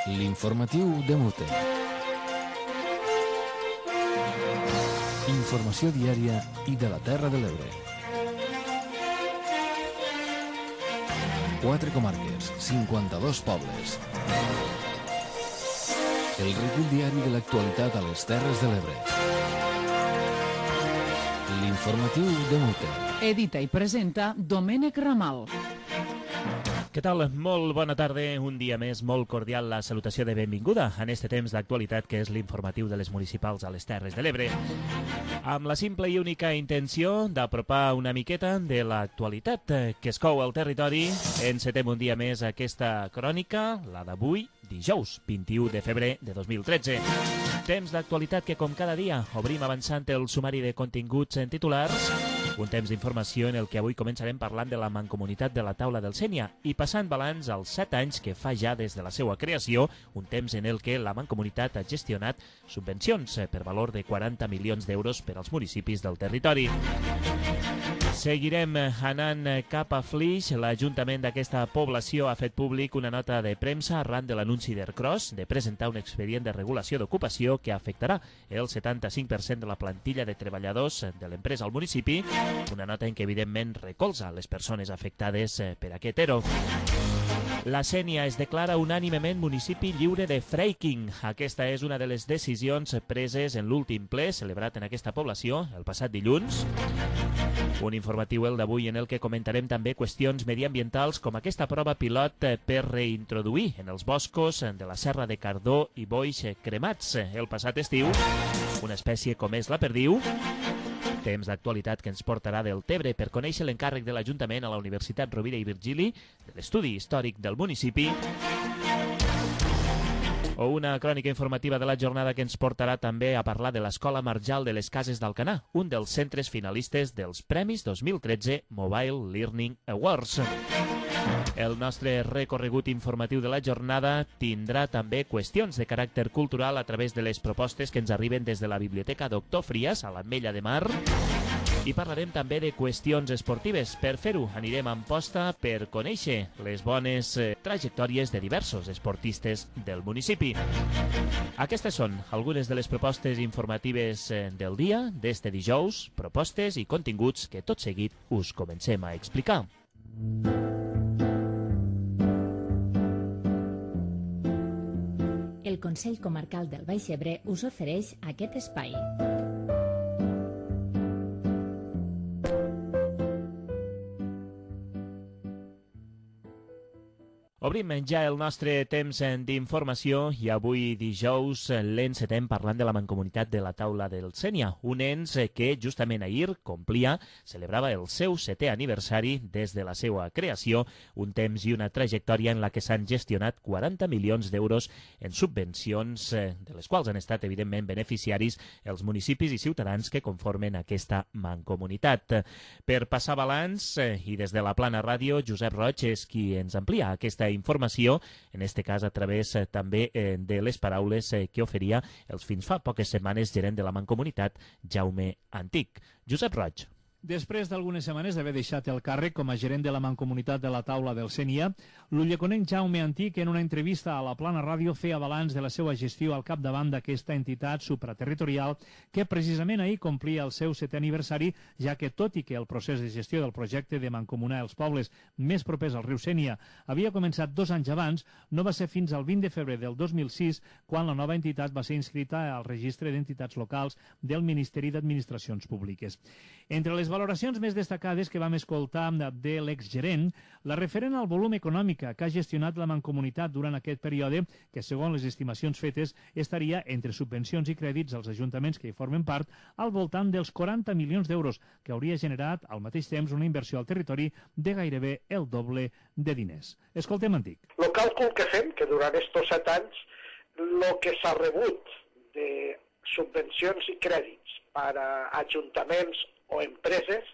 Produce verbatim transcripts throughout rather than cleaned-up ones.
L'informatiu de Mute. Informació diària i de la Terra de l'Ebre. Quatre comarques, cinquanta-dos pobles. El recull diari de l'actualitat a les Terres de l'Ebre. L'informatiu de Mute. Edita i presenta Domènec Ramal. Què tal? Molt bona tarda, un dia més, molt cordial la salutació de benvinguda en este temps d'actualitat que és l'informatiu de les municipals a les Terres de l'Ebre. Amb la simple i única intenció d'apropar una miqueta de l'actualitat que es cou al territori, encetem un dia més aquesta crònica, la d'avui, dijous, vint-i-u de febrer de dos mil tretze. Temps d'actualitat que, com cada dia, obrim avançant el sumari de continguts en titulars, un temps d'informació en el que avui començarem parlant de la mancomunitat de la Taula del Sénia i passant balanç als set anys que fa ja des de la seva creació, un temps en el que la mancomunitat ha gestionat subvencions per valor de quaranta milions d'euros per als municipis del territori. Seguirem anant cap a Flix. L'Ajuntament d'aquesta població ha fet públic una nota de premsa arran de l'anunci d'Ercros de presentar un expedient de regulació d'ocupació que afectarà el setanta-cinc per cent de la plantilla de treballadors de l'empresa al municipi, una nota en què evidentment recolza les persones afectades per aquest ero. La Sénia es declara unànimement municipi lliure de fracking. Aquesta és una de les decisions preses en l'últim ple celebrat en aquesta població el passat dilluns. Un informatiu el d'avui en el que comentarem també qüestions mediambientals com aquesta prova pilot per reintroduir en els boscos de la Serra de Cardó i Boix cremats el passat estiu una espècie com és la perdiu. Temps d'actualitat que ens portarà del Tebre per conèixer l'encàrrec de l'Ajuntament a la Universitat Rovira i Virgili de l'estudi històric del municipi, o una crònica informativa de la jornada que ens portarà també a parlar de l'Escola Marjal de les Cases d'Alcanar, un dels centres finalistes dels Premis dos mil tretze Mobile Learning Awards. El nostre recorregut informatiu de la jornada tindrà també qüestions de caràcter cultural a través de les propostes que ens arriben des de la Biblioteca Doctor Frias a l'Ametlla de Mar i parlarem també de qüestions esportives. Per fer-ho anirem a Amposta per conèixer les bones eh, trajectòries de diversos esportistes del municipi. Aquestes són algunes de les propostes informatives eh, del dia d'este dijous, propostes i continguts que tot seguit us comencem a explicar. El Consell Comarcal del Baix Ebre us ofereix aquest espai. Obrim ja el nostre temps d'informació i avui dijous l'encetem parlant de la mancomunitat de la Taula del Sénia, un ens que justament ahir complia, celebrava el seu setè aniversari des de la seva creació, un temps i una trajectòria en la que s'han gestionat quaranta milions d'euros en subvencions, de les quals han estat evidentment beneficiaris els municipis i ciutadans que conformen aquesta mancomunitat. Per passar balanç, i des de la Plana Ràdio, Josep Roig és qui ens amplia aquesta informació, en este cas a través eh, també eh, de les paraules eh, que oferia els fins fa poques setmanes gerent de la Mancomunitat, Jaume Antic. Josep Roig. Després d'algunes setmanes d'haver deixat el càrrec com a gerent de la Mancomunitat de la Taula del Sénia, l'ulleconenc Jaume Antic, en una entrevista a la Plana Ràdio, feia balanç de la seva gestió al capdavant d'aquesta entitat supraterritorial que precisament ahir complia el seu setè aniversari, ja que tot i que el procés de gestió del projecte de mancomunar els pobles més propers al riu Sénia havia començat dos anys abans, no va ser fins al vint de febrer del dos mil sis quan la nova entitat va ser inscrita al registre d'entitats locals del Ministeri d'Administracions Públiques. Entre les valoracions més destacades que vam escoltar de l'exgerent, la referent al volum econòmic que ha gestionat la Mancomunitat durant aquest període, que segons les estimacions fetes estaria entre subvencions i crèdits als ajuntaments que hi formen part al voltant dels quaranta milions d'euros, que hauria generat al mateix temps una inversió al territori de gairebé el doble de diners. Escoltem, Antic. El càlcul que fem, que durant estos set anys, el que s'ha rebut de subvencions i crèdits per a ajuntaments o empreses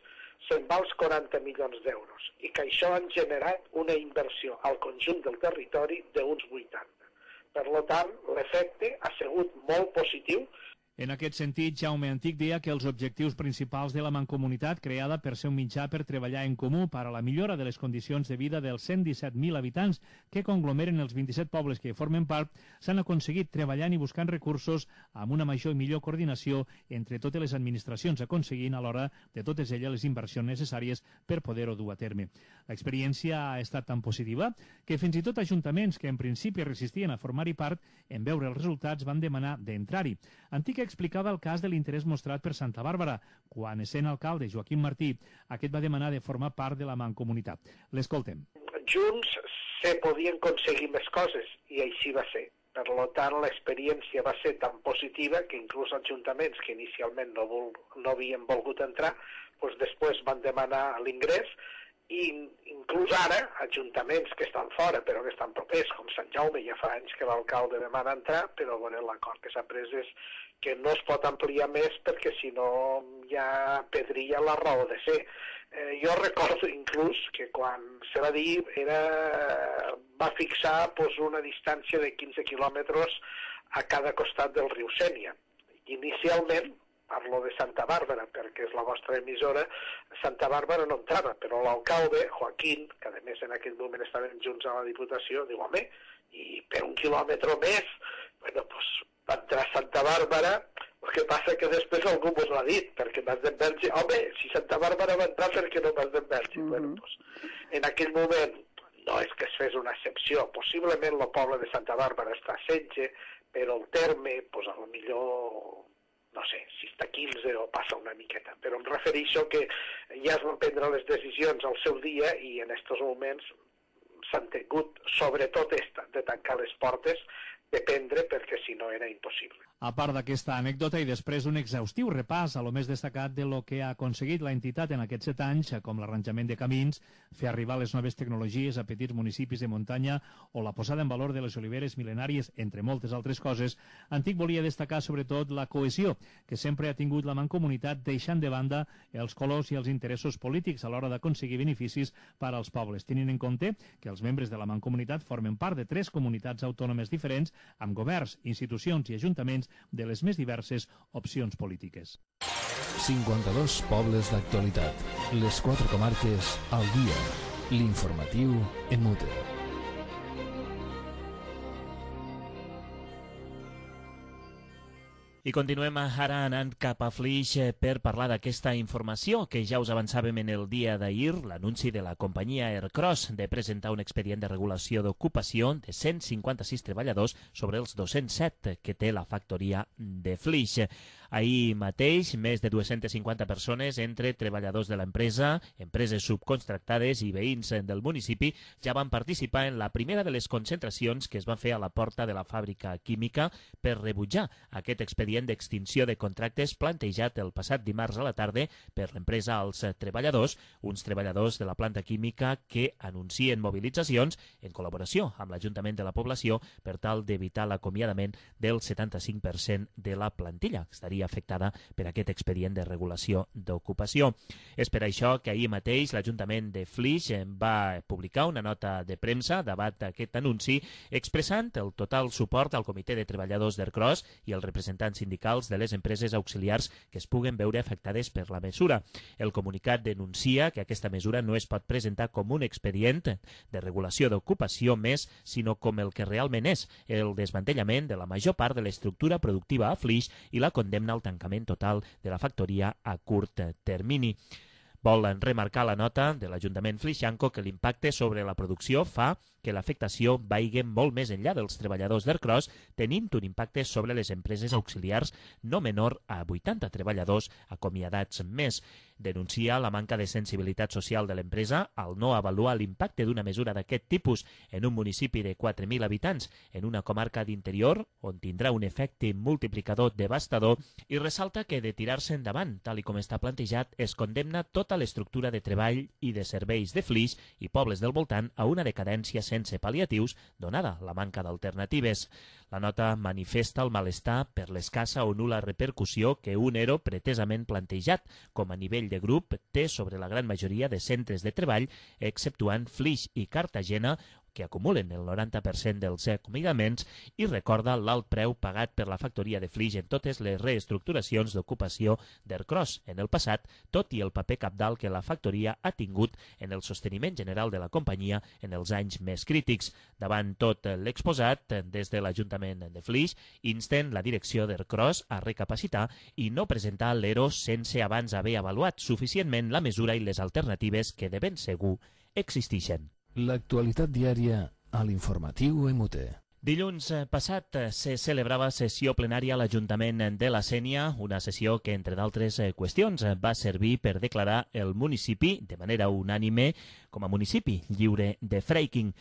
se'n va als quaranta milions d'euros i que això han generat una inversió al conjunt del territori d'uns vuitanta. Per tant, l'efecte ha sigut molt positiu. En aquest sentit, Jaume Antic deia que els objectius principals de la Mancomunitat, creada per ser un mitjà per treballar en comú per a la millora de les condicions de vida dels cent disset mil habitants que conglomeren els vint-i-set pobles que formen part, s'han aconseguit treballant i buscant recursos amb una major i millor coordinació entre totes les administracions, aconseguint alhora de totes elles les inversions necessàries per poder-ho dur a terme. L'experiència ha estat tan positiva que fins i tot ajuntaments que en principi resistien a formar-hi part, en veure els resultats van demanar d'entrar-hi. Antic explicava el cas de l'interès mostrat per Santa Bàrbara, quan, essent alcalde Joaquim Martí, aquest va demanar de formar part de la Mancomunitat. L'escoltem. Junts se podien aconseguir més coses, i així va ser. Per tant, l'experiència va ser tan positiva que inclús ajuntaments que inicialment no, vol, no havien volgut entrar, doncs després van demanar l'ingrés, i inclús ara, ajuntaments que estan fora però que estan propers, com Sant Jaume, ja fa anys que l'alcalde demana entrar, però bueno, l'acord que s'ha pres és que no es pot ampliar més perquè si no ja perdria la raó de ser. Eh, jo recordo inclús que quan se va dir era, va fixar pues, una distància de quinze quilòmetres a cada costat del riu Sénia. Inicialment, parlo de Santa Bàrbara, perquè és la vostra emissora, Santa Bàrbara no entrava, però l'alcalde, Joaquín, que a més en aquell moment estaven junts a la Diputació, diu, home, i per un quilòmetre més, bueno, doncs va entrar a Santa Bàrbara, el que passa que després algú mos l'ha dit, perquè Mas d'Enverge, home, si Santa Bàrbara va entrar, per què no Mas d'Enverge? Mm-hmm. Bueno, doncs, en aquell moment no és que es fes una excepció, possiblement el poble de Santa Bàrbara està a setze, però el terme, doncs a lo millor no sé, si està a quinze o passa una miqueta, però em refereixo que ja es van prendre les decisions al seu dia i en aquests moments s'han tingut, sobretot esta, de tancar les portes, de prendre perquè si no era impossible. A part d'aquesta anècdota i després un exhaustiu repàs a lo més destacat de lo que ha aconseguit la entitat en aquests set anys, com l'arranjament de camins, fer arribar les noves tecnologies a petits municipis de muntanya o la posada en valor de les oliveres mil·lenàries, entre moltes altres coses, Antic volia destacar sobretot la cohesió que sempre ha tingut la Mancomunitat, deixant de banda els colors i els interessos polítics a l'hora d'aconseguir beneficis per als pobles, tenint en compte que els membres de la Mancomunitat formen part de tres comunitats autònomes diferents amb governs, institucions i ajuntaments de les més diverses opcions polítiques. cinquanta-dos pobles d'actualitat. Les quatre comarques al dia. L'informatiu en mute. I continuem ara anant cap a Flix per parlar d'aquesta informació que ja us avançàvem en el dia d'ahir, l'anunci de la companyia Aircross de presentar un expedient de regulació d'ocupació de cent cinquanta-sis treballadors sobre els dos-cents set que té la factoria de Flix. Ahir mateix, més de dues-centes cinquanta persones, entre treballadors de l'empresa, empreses subcontractades i veïns del municipi, ja van participar en la primera de les concentracions que es van fer a la porta de la fàbrica química per rebutjar aquest expedient d'extinció de contractes plantejat el passat dimarts a la tarda per l'empresa als treballadors, uns treballadors de la planta química que anuncien mobilitzacions en col·laboració amb l'Ajuntament de la població per tal d'evitar l'acomiadament del setanta-cinc per cent de la plantilla. Estaria afectada per aquest expedient de regulació d'ocupació. És per això que ahir mateix l'Ajuntament de Flix va publicar una nota de premsa davant d'aquest anunci expressant el total suport al Comitè de Treballadors d'Aircross i els representants sindicals de les empreses auxiliars que es puguen veure afectades per la mesura. El comunicat denuncia que aquesta mesura no es pot presentar com un expedient de regulació d'ocupació més, sinó com el que realment és, el desmantellament de la major part de l'estructura productiva a Flix i la condemna al tancament total de la factoria a curt termini. Volen remarcar la nota de l'Ajuntament flixanco que l'impacte sobre la producció fa que l'afectació vagi molt més enllà dels treballadors d'Aircross, tenint un impacte sobre les empreses auxiliars no menor a vuitanta treballadors acomiadats més. Denuncia la manca de sensibilitat social de l'empresa al no avaluar l'impacte d'una mesura d'aquest tipus en un municipi de quatre mil habitants, en una comarca d'interior on tindrà un efecte multiplicador devastador, i ressalta que de tirar-se endavant, tal i com està plantejat, es condemna tota l'estructura de treball i de serveis de Flix i pobles del voltant a una decadència sense pal·liatius, donada la manca d'alternatives. La nota manifesta el malestar per l'escassa o nul·la repercussió que un ERO pretesament plantejat com a nivell de grup té sobre la gran majoria de centres de treball, exceptuant Flix i Cartagena, que acumulen el noranta per cent dels acomiadaments i recorda l'alt preu pagat per la factoria de Flix en totes les reestructuracions d'ocupació d'Ercros en el passat, tot i el paper cabdal que la factoria ha tingut en el sosteniment general de la companyia en els anys més crítics. Davant tot l'exposat, des de l'Ajuntament de Flix, insten la direcció d'Ercros a recapacitar i no presentar l'E R O sense abans haver avaluat suficientment la mesura i les alternatives que de ben segur existeixen. L'actualitat diària a l'informatiu M U T. Dilluns passat se celebrava sessió plenària a l'Ajuntament de la Sénia, una sessió que, entre d'altres qüestions, va servir per declarar el municipi de manera unànime com a municipi lliure de fracking.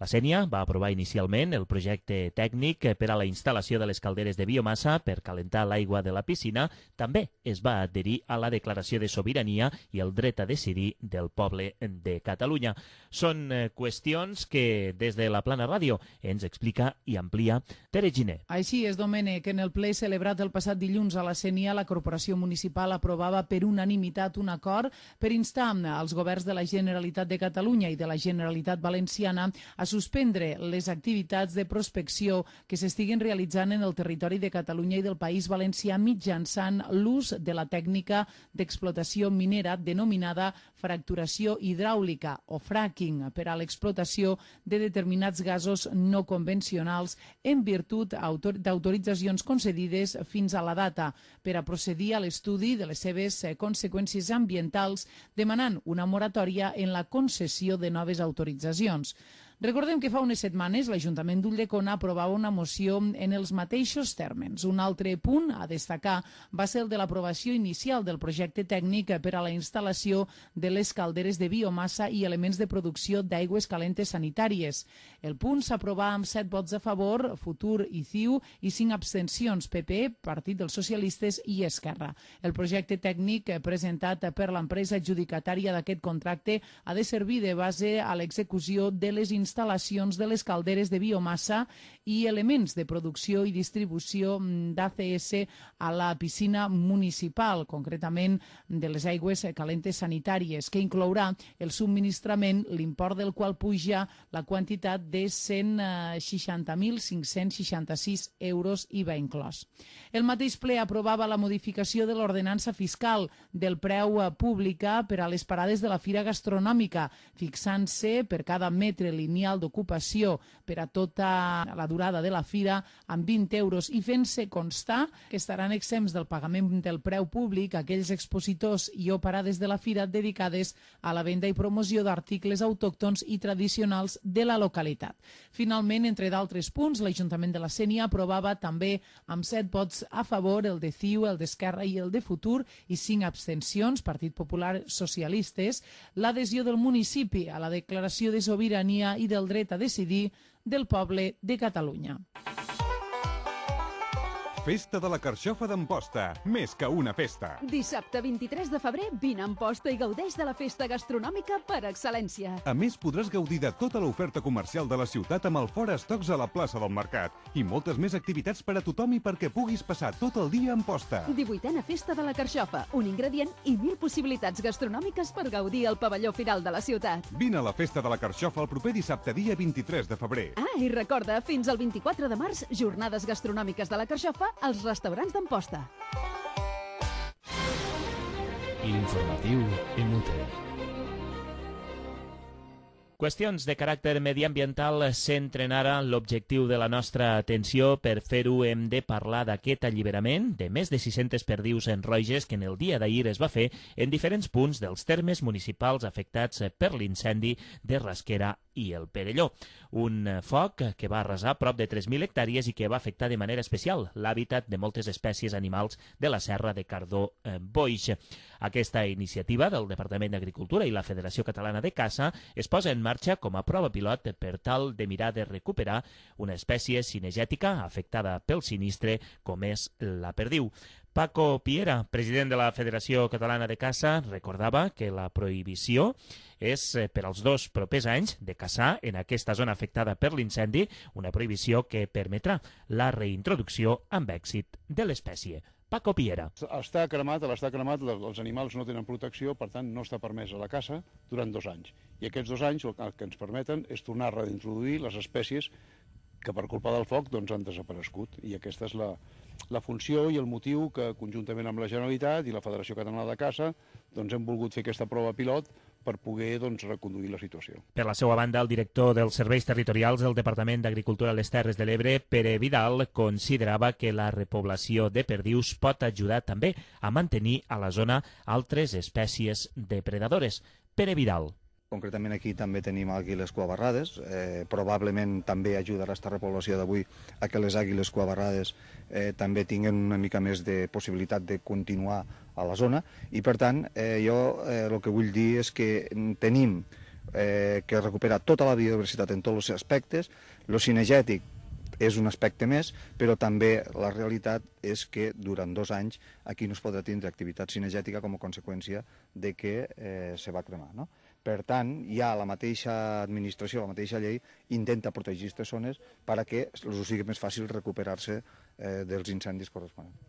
La Sénia va aprovar inicialment el projecte tècnic per a la instal·lació de les calderes de biomassa per calentar l'aigua de la piscina. També es va adherir a la declaració de sobirania i el dret a decidir del poble de Catalunya. Són qüestions que des de la Plana Ràdio ens explica i amplia Tere Giner. Així és, Domènec, en el ple celebrat el passat dilluns a la Sénia, la Corporació Municipal aprovava per unanimitat un acord per instar als governs de la Generalitat de Catalunya i de la Generalitat Valenciana a suspendre les activitats de prospecció que s'estiguen realitzant en el territori de Catalunya i del País Valencià mitjançant l'ús de la tècnica d'explotació minera denominada fracturació hidràulica o fracking per a l'explotació de determinats gasos no convencionals en virtut d'autoritzacions concedides fins a la data per a procedir a l'estudi de les seves conseqüències ambientals, demanant una moratòria en la concessió de noves autoritzacions. Recordem que fa unes setmanes l'Ajuntament d'Ulldecona aprovava una moció en els mateixos termes. Un altre punt a destacar va ser el de l'aprovació inicial del projecte tècnic per a la instal·lació de les calderes de biomassa i elements de producció d'aigües calentes sanitàries. El punt s'aprovà amb set vots a favor, Futur i C I U, i cinc abstencions, P P, Partit dels Socialistes i Esquerra. El projecte tècnic presentat per l'empresa adjudicatària d'aquest contracte ha de servir de base a l'execució de les instal·lacions instal·lacions de les calderes de biomassa i elements de producció i distribució d'A C S a la piscina municipal, concretament de les aigües calentes sanitàries, que inclourà el subministrament, l'import del qual puja la quantitat de cent seixanta mil cinc-cents seixanta-sis euros I V A inclòs. El mateix ple aprovava la modificació de l'ordenança fiscal del preu pública per a les parades de la fira gastronòmica, fixant-se per cada metre lineal d'ocupació per a tota la durada de la fira amb vint euros i fent-se constar que estaran exempts del pagament del preu públic aquells expositors i o parades de la fira dedicades a la venda i promoció d'articles autòctons i tradicionals de la localitat. Finalment, entre d'altres punts, l'Ajuntament de la Sénia aprovava també amb set vots a favor el de C I U, el d'Esquerra i el de Futur i cinc abstencions, Partit Popular Socialistes, l'adhesió del municipi a la declaració de sobirania i del dret a decidir del poble de Catalunya. Festa de la Carxofa d'Amposta, més que una festa. Dissabte vint-i-tres de febrer, vine a Amposta i gaudeix de la festa gastronòmica per excel·lència. A més, podràs gaudir de tota l'oferta comercial de la ciutat amb el Fora Estocs a la plaça del Mercat i moltes més activitats per a tothom i perquè puguis passar tot el dia a Amposta. divuitena Festa de la Carxofa, un ingredient i mil possibilitats gastronòmiques per gaudir al pavelló final de la ciutat. Vine a la Festa de la Carxofa el proper dissabte, dia vint-i-tres de febrer. Ah, i recorda, fins al vint-i-quatre de març, jornades gastronòmiques de la Carxofa als restaurants d'Amposta. L'informatiu M U T. Qüestions de caràcter mediambiental centren ara l'objectiu de la nostra atenció. Per fer-ho hem de parlar d'aquest alliberament de més de sis-centes perdius en roges que en el dia d'ahir es va fer en diferents punts dels termes municipals afectats per l'incendi de Rasquera i el Perelló. Un foc que va arrasar prop de tres mil hectàrees i que va afectar de manera especial l'hàbitat de moltes espècies animals de la serra de Cardó-Boix. Aquesta iniciativa del Departament d'Agricultura i la Federació Catalana de Caça es posa en marxa com a prova pilot per tal de mirar de recuperar una espècie cinegètica afectada pel sinistre com és la perdiu. Paco Piera, president de la Federació Catalana de Caça, recordava que la prohibició és per als dos propers anys de caçar en aquesta zona afectada per l'incendi, una prohibició que permetrà la reintroducció amb èxit de l'espècie. Paco Piera. Està cremat, a l'estar cremat, els animals no tenen protecció, per tant no està permesa la caça durant dos anys. I aquests dos anys el que ens permeten és tornar a reintroduir les espècies que per culpa del foc doncs, han desaparegut. I aquesta és la, la funció i el motiu que, conjuntament amb la Generalitat i la Federació Catalana de Caça, doncs, hem volgut fer aquesta prova pilot per poder doncs, reconduir la situació. Per la seva banda, el director dels Serveis Territorials del Departament d'Agricultura a les Terres de l'Ebre, Pere Vidal, considerava que la repoblació de perdius pot ajudar també a mantenir a la zona altres espècies depredadores. Pere Vidal. Concretament aquí també tenim àguiles cuabarrades, eh, probablement també ajudarà aquesta repoblació d'avui a que les àguiles cuabarrades eh, també tinguin una mica més de possibilitat de continuar a la zona i per tant eh, jo eh, el que vull dir és que tenim eh, que recuperar tota la biodiversitat en tots els aspectes, lo cinegètic és un aspecte més, però també la realitat és que durant dos anys aquí no es podrà tindre activitat cinegètica com a conseqüència de que eh, se va cremar, no? Per tant, ja la mateixa administració, la mateixa llei, intenta protegir aquestes zones perquè els sigui més fàcil recuperar-se eh, dels incendis corresponents.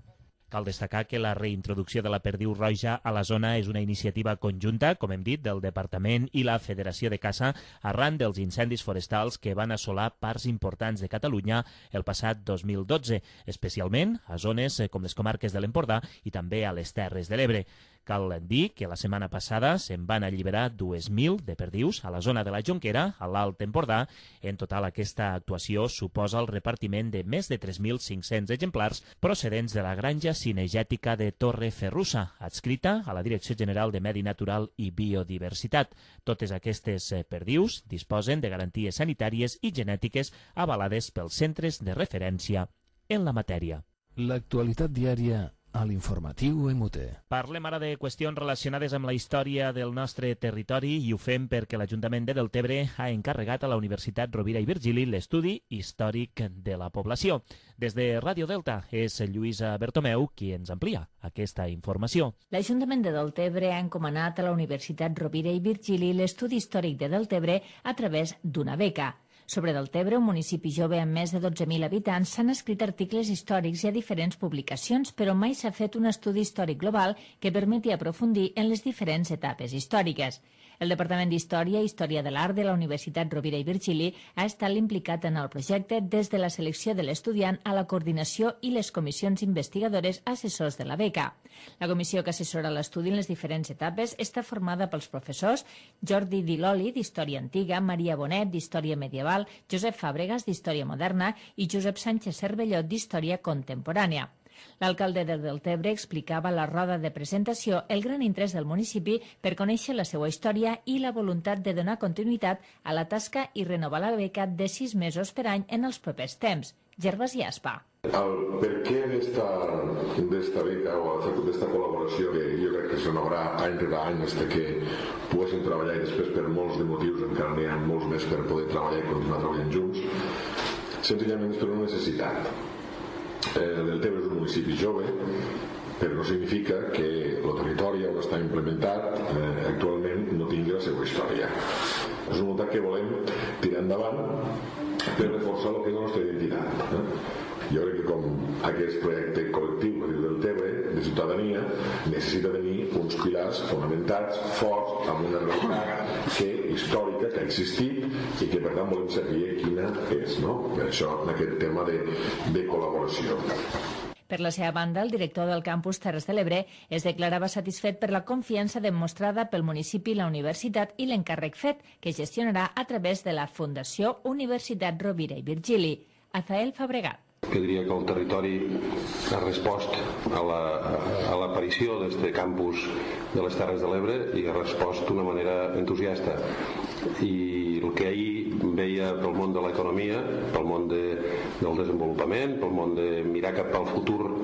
Cal destacar que la reintroducció de la perdiu roja a la zona és una iniciativa conjunta, com hem dit, del Departament i la Federació de Caça arran dels incendis forestals que van assolar parts importants de Catalunya el passat dos mil dotze, especialment a zones com les comarques de l'Empordà i també a les Terres de l'Ebre. Cal dir que la setmana passada se'n van alliberar dues mil de perdius a la zona de la Jonquera, a l'Alt Empordà. En total, aquesta actuació suposa el repartiment de més de tres mil cinc-cents exemplars procedents de la granja cinegètica de Torre Ferrusa, adscrita a la Direcció General de Medi Natural i Biodiversitat. Totes aquestes perdius disposen de garanties sanitàries i genètiques avalades pels centres de referència en la matèria. L'actualitat diària a l'informatiu M U T. Parlem ara de qüestions relacionades amb la història del nostre territori i ho fem perquè l'Ajuntament de Deltebre ha encarregat a la Universitat Rovira i Virgili l'estudi històric de la població. Des de Ràdio Delta és Lluïsa Bertomeu qui ens amplia aquesta informació. L'Ajuntament de Deltebre ha encomanat a la Universitat Rovira i Virgili l'estudi històric de Deltebre a través d'una beca. Sobre Deltebre, un municipi jove amb més de dotze mil habitants, s'han escrit articles històrics i a diferents publicacions, però mai s'ha fet un estudi històric global que permeti aprofundir en les diferents etapes històriques. El Departament d'Història i Història de l'Art de la Universitat Rovira i Virgili ha estat implicat en el projecte des de la selecció de l'estudiant a la coordinació i les comissions investigadores assessors de la beca. La comissió que assessora l'estudi en les diferents etapes està formada pels professors Jordi Diloli, d'Història Antiga, Maria Bonet, d'Història Medieval, Josep Fàbregas, d'Història Moderna i Josep Sánchez Cervelló, d'Història Contemporània. L'alcalde de Deltebre explicava a la roda de presentació el gran interès del municipi per conèixer la seva història i la voluntat de donar continuïtat a la tasca i renovar la beca de sis mesos per any en els propers temps. Gervas i Aspa. El per què d'esta beca o d'esta col·laboració que jo crec que se renovarà any rere any fins que poguessin treballar i després per molts de motius encara n'hi ha molts més per poder treballar i continuar treballant junts, senzillament és per una necessitat. Eh, Deltebre és un municipi jove, però no significa que el territori on està implementat eh, actualment no tingui la seva història. És una voluntat que volem tirar endavant per reforçar el que és la nostra identitat. Eh? Jo crec que com aquest projecte col·lectiu que diu Deltebre, de ciutadania, necessita tenir uns pilars fonamentats, forts, amb una realitat que, històrica, que ha existit i que per tant volem saber quina és, no? Per això, en aquest tema de, de col·laboració. Per la seva banda, el director del campus Terres de l'Ebre es declarava satisfet per la confiança demostrada pel municipi, la universitat i l'encàrrec fet, que gestionarà a través de la Fundació Universitat Rovira i Virgili. Azael Fabregat. Que diria que el territori ha respost a l'aparició la, d'aquest campus de les Terres de l'Ebre i ha respost d'una manera entusiasta. I el que ahir veia pel món de l'economia, pel món de, del desenvolupament, pel món de mirar cap al futur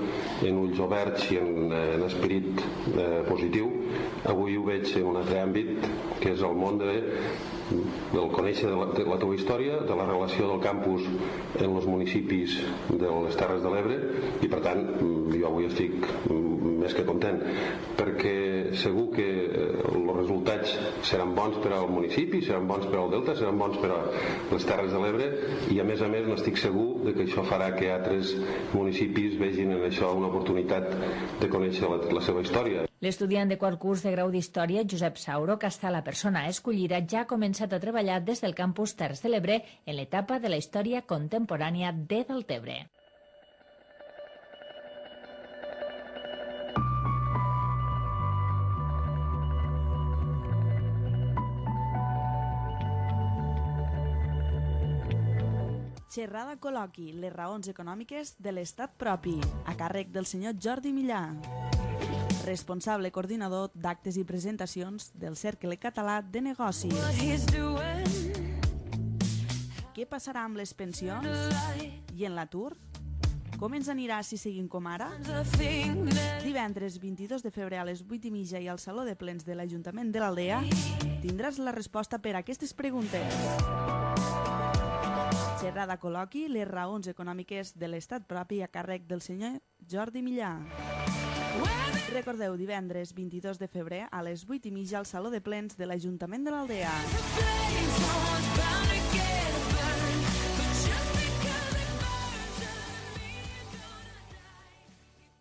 en ulls oberts i en, en esperit eh, positiu, avui ho veig en un altre àmbit, que és el món de del conèixer de la, de la teva història, de la relació del campus en els municipis de les Terres de l'Ebre, i per tant jo avui estic més que content, perquè segur que els resultats seran bons per al municipi, seran bons per al Delta, seran bons per a les Terres de l'Ebre, i a més a més n'estic segur de que això farà que altres municipis vegin en això una oportunitat de conèixer la, la seva història. L'estudiant de quart curs de grau d'Història, Josep Sauro, que està la persona escollida, ja ha començat a treballar des del campus Terres de l'Ebre en l'etapa de la història contemporània de Deltebre. Xerrada col·loqui, les raons econòmiques de l'estat propi, a càrrec del senyor Jordi Millà, responsable coordinador d'actes i presentacions del Cercle Català de Negocis. Què passarà amb les pensions? I en l'atur? Com ens anirà si seguim com ara? Divendres vint-i-dos de febrer a les vuit i mitja i al Saló de Plens de l'Ajuntament de l'Aldea tindràs la resposta per a aquestes preguntes. Xerrada col·loqui, les raons econòmiques de l'estat propi a càrrec del senyor Jordi Millà. Recordeu, divendres vint-i-dos de febrer a les vuit i mitja al Saló de Plens de l'Ajuntament de l'Aldea.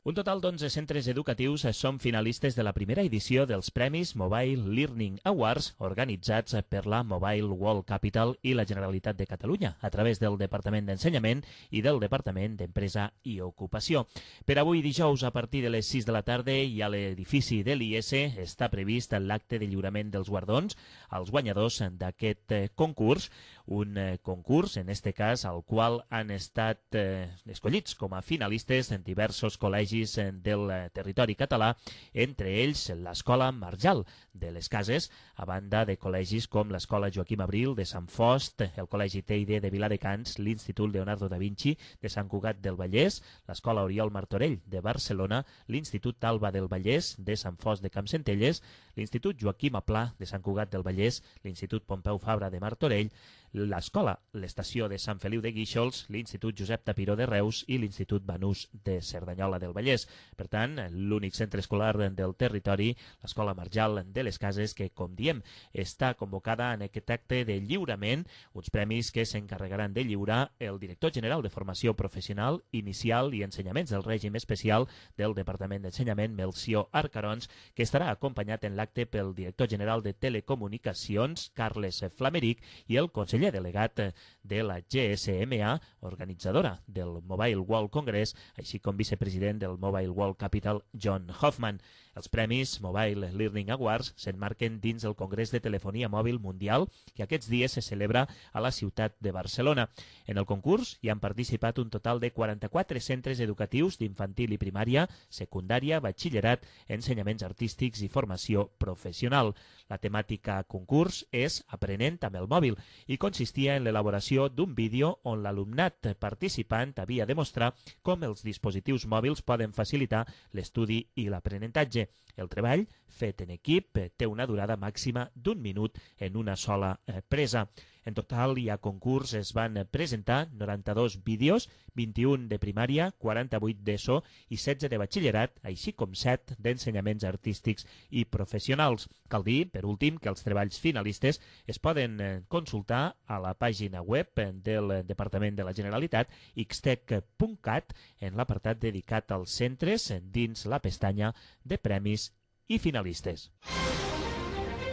Un total d'onze centres educatius són finalistes de la primera edició dels Premis Mobile Learning Awards organitzats per la Mobile World Capital i la Generalitat de Catalunya a través del Departament d'Ensenyament i del Departament d'Empresa i Ocupació. Per avui dijous a partir de les sis de la tarda i a l'edifici de l'I S està previst l'acte de lliurament dels guardons als guanyadors d'aquest concurs, un concurs en este cas al qual han estat eh, escollits com a finalistes en diversos col·legis del territori català, entre ells l'Escola Marjal de les Cases, a banda de col·legis com l'Escola Joaquim Abril de Sant Fost, el Col·legi Teide de Viladecans, l'Institut Leonardo da Vinci de Sant Cugat del Vallès, l'Escola Oriol Martorell de Barcelona, l'Institut Alba del Vallès de Sant Fost de Campsentelles, l'Institut Joaquim Aplà de Sant Cugat del Vallès, l'Institut Pompeu Fabra de Martorell, l'Escola l'Estació de Sant Feliu de Guíxols, l'Institut Josep Tapiró de Reus i l'Institut Banús de Cerdanyola del Vallès. Per tant, l'únic centre escolar del territori, l'Escola Marjal de les Cases, que, com diem, està convocada en aquest acte de lliurament, uns premis que s'encarregaran de lliurar el director general de Formació Professional, Inicial i Ensenyaments del Règim Especial del Departament d'Ensenyament, Melcior Arcarons, que estarà acompanyat en l'acte pel director general de Telecomunicacions, Carles Flameric, i el conseller delegat de la G S M A, organitzadora del Mobile World Congress, així com vicepresident del Mobile World Capital, John Hoffman. Els premis Mobile Learning Awards s'emmarquen dins el Congrés de Telefonia Mòbil Mundial que aquests dies se celebra a la ciutat de Barcelona. En el concurs hi han participat un total de quaranta-quatre centres educatius d'infantil i primària, secundària, batxillerat, ensenyaments artístics i formació professional. La temàtica concurs és Aprenent amb el mòbil i consistia en l'elaboració d'un vídeo on l'alumnat participant havia de mostrar com els dispositius mòbils poden facilitar l'estudi i l'aprenentatge. El treball, fet en equip, té una durada màxima d'un minut en una sola presa. En total, hi ha concurs, es van presentar noranta-dos vídeos, vint-i-un de primària, quaranta-vuit d'ESO i setze de batxillerat, així com set d'ensenyaments artístics i professionals. Cal dir, per últim, que els treballs finalistes es poden consultar a la pàgina web del Departament de la Generalitat, ixtec punt cat, en l'apartat dedicat als centres dins la pestanya de premis i finalistes.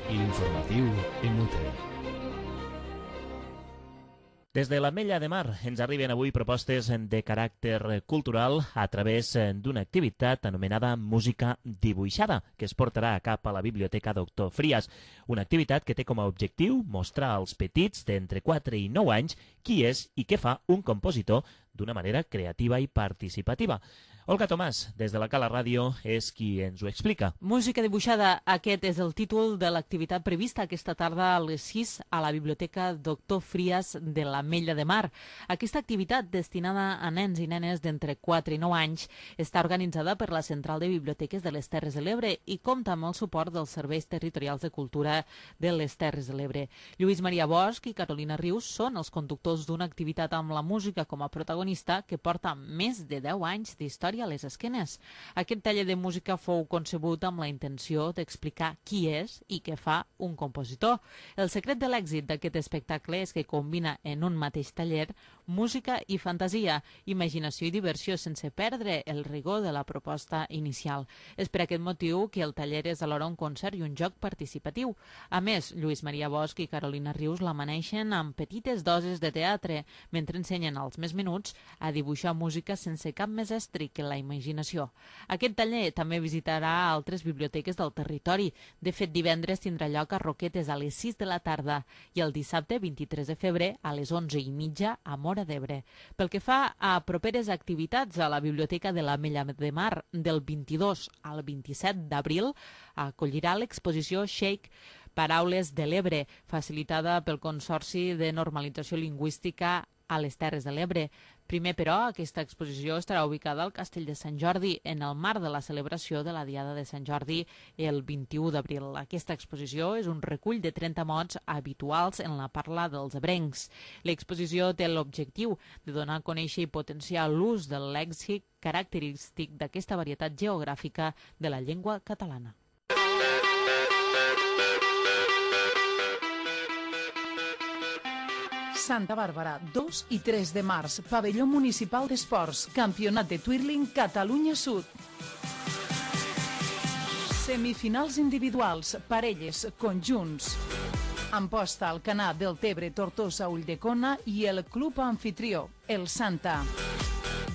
L'informatiu Emute. Des de l'Ametlla de Mar ens arriben avui propostes de caràcter cultural a través d'una activitat anomenada Música Dibuixada, que es portarà a cap a la Biblioteca Doctor Frías. Una activitat que té com a objectiu mostrar als petits d'entre quatre i nou anys qui és i què fa un compositor d'una manera creativa i participativa. Olga Tomàs, des de la Cala Ràdio, és qui ens ho explica. Música dibuixada, aquest és el títol de l'activitat prevista aquesta tarda a les sis a la Biblioteca Doctor Frias de l'Ametlla de Mar. Aquesta activitat, destinada a nens i nenes d'entre quatre i nou anys, està organitzada per la Central de Biblioteques de les Terres de l'Ebre i compta amb el suport dels Serveis Territorials de Cultura de les Terres de l'Ebre. Lluís Maria Bosch i Carolina Rius són els conductors d'una activitat amb la música com a protagonista que porta més de deu anys d'història a les esquenes. Aquest taller de música fou concebut amb la intenció d'explicar qui és i què fa un compositor. El secret de l'èxit d'aquest espectacle és que combina en un mateix taller música i fantasia, imaginació i diversió sense perdre el rigor de la proposta inicial. És per aquest motiu que el taller és alhora un concert i un joc participatiu. A més, Lluís Maria Bosch i Carolina Rius l'amaneixen amb petites dosis de teatre, mentre ensenyen als més menuts a dibuixar música sense cap més estri que la imaginació. Aquest taller també visitarà altres biblioteques del territori. De fet, divendres tindrà lloc a Roquetes a les sis de la tarda i el dissabte vint-i-tres de febrer a les onze i mitja a Móra d'Ebre. Pel que fa a properes activitats a la Biblioteca de l'Ametlla de Mar, del vint-i-dos al vint-i-set d'abril acollirà l'exposició Shake Paraules de l'Ebre, facilitada pel Consorci de Normalització Lingüística a les Terres de l'Ebre. Primer, però, aquesta exposició estarà ubicada al Castell de Sant Jordi en el marc de la celebració de la Diada de Sant Jordi el vint-i-u d'abril. Aquesta exposició és un recull de trenta mots habituals en la parla dels ebrencs. L'exposició té l'objectiu de donar a conèixer i potenciar l'ús del lèxic característic d'aquesta varietat geogràfica de la llengua catalana. Santa Bàrbara, dos i tres de març, Pavelló Municipal d'Esports, Campionat de Twirling Catalunya Sud. Semifinals individuals, parelles, conjunts. Amposta al Canà del Tebre, Tortosa, Ulldecona i el club anfitrió, el Santa.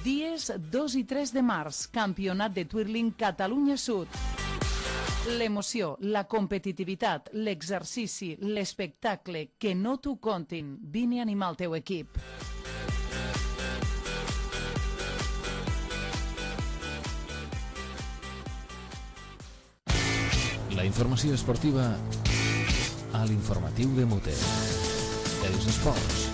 Dies dos i tres de març, Campionat de Twirling Catalunya Sud. L'emoció, la competitivitat, l'exercici, l'espectacle, que no t'ho contin. Vine a animar el teu equip. La informació esportiva a l'informatiu de Muter. Els esports.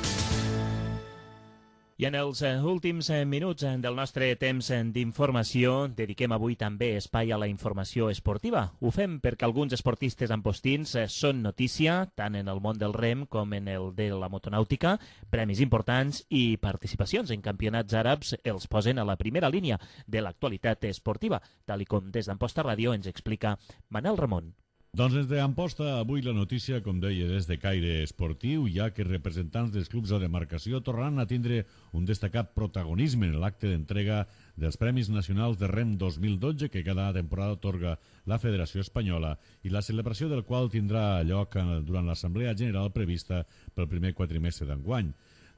I en els últims minuts del nostre temps d'informació dediquem avui també espai a la informació esportiva. Ho fem perquè alguns esportistes ampostins són notícia tant en el món del rem com en el de la motonàutica. Premis importants i participacions en campionats àrabs els posen a la primera línia de l'actualitat esportiva, tal i com des d'Amposta Ràdio ens explica Manel Ramon. Doncs des d'Amposta, avui la notícia, com deia, és de caire esportiu, ja que representants dels clubs de demarcació tornaran a tindre un destacat protagonisme en l'acte d'entrega dels Premis Nacionals de Rem dos mil dotze que cada temporada atorga la Federació Espanyola i la celebració del qual tindrà lloc durant l'Assemblea General prevista pel primer quatrimestre d'enguany.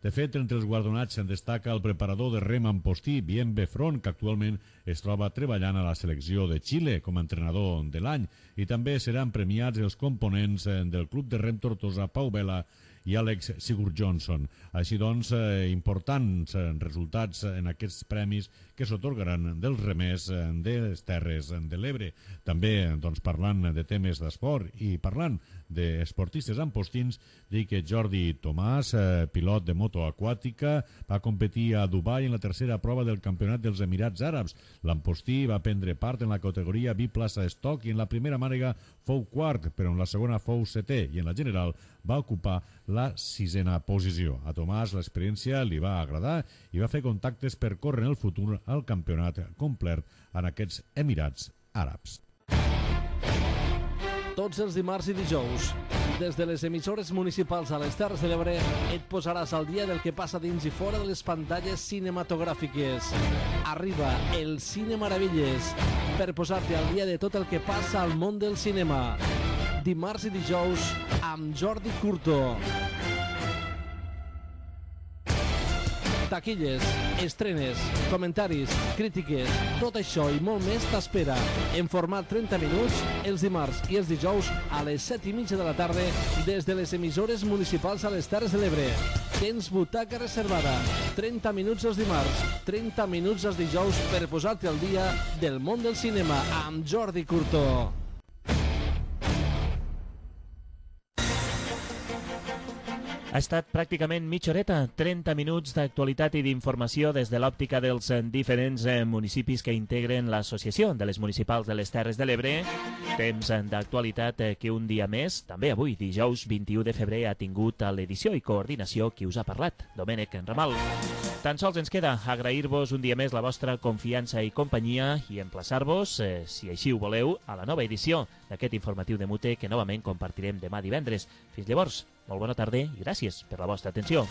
De fet, entre els guardonats se'n destaca el preparador de rem ampostí, Bien Befron, que actualment es troba treballant a la selecció de Xile com a entrenador de l'any, i també seran premiats els components del club de rem Tortosa, Pau Vela i Àlex Sigurd Johnson. Així doncs, eh, importants resultats en aquests premis que s'atorgaran dels remers de les Terres de l'Ebre. També doncs, parlant de temes d'esport i parlant d'esportistes ampostins, dir que Jordi Tomàs, eh, pilot de moto aquàtica, va competir a Dubai en la tercera prova del Campionat dels Emirats Àrabs. L'ampostí va prendre part en la categoria biplaça estoc i en la primera mànega fou quart, però en la segona fou setè i en la general va ocupar la sisena posició. A Tomàs l'experiència li va agradar i va fer contactes per córrer en el futur al campionat complet en aquests Emirats Àrabs. Tots els dimarts i dijous, des de les emissores municipals a les Terres de l'Ebre, et posaràs al dia del que passa dins i fora de les pantalles cinematogràfiques. Arriba el Cine Maravilles per posar-te al dia de tot el que passa al món del cinema. Dimarts i dijous amb Jordi Curto. Taquilles, estrenes, comentaris, crítiques, tot això i molt més t'espera en format trenta minuts els dimarts i els dijous a les set i mitja de la tarda des de les emissores municipals a les Terres de l'Ebre. tens butaca reservada. trenta minuts els dimarts, trenta minuts els dijous per posar-te al dia del món del cinema amb Jordi Curto. Ha estat pràcticament mitja horeta, trenta minuts d'actualitat i d'informació des de l'òptica dels diferents municipis que integren l'Associació de les Municipals de les Terres de l'Ebre. Temps d'actualitat que un dia més, també avui, dijous vint-i-u de febrer, ha tingut a l'edició i coordinació qui us ha parlat, Domènec Ramal. Tan sols ens queda agrair-vos un dia més la vostra confiança i companyia i emplaçar-vos, eh, si així ho voleu, a la nova edició d'aquest informatiu de Mute que novament compartirem demà divendres. Fins llavors, molt bona tarda i gràcies per la vostra atenció.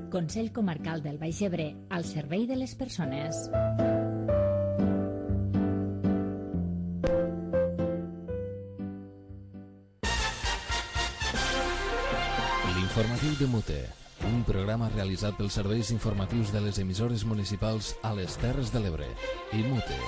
Consell Comarcal del Baix Ebre, al servei de les persones. L'informatiu de Mute, un programa realitzat pels serveis informatius de les emissores municipals a les Terres de l'Ebre i Mute.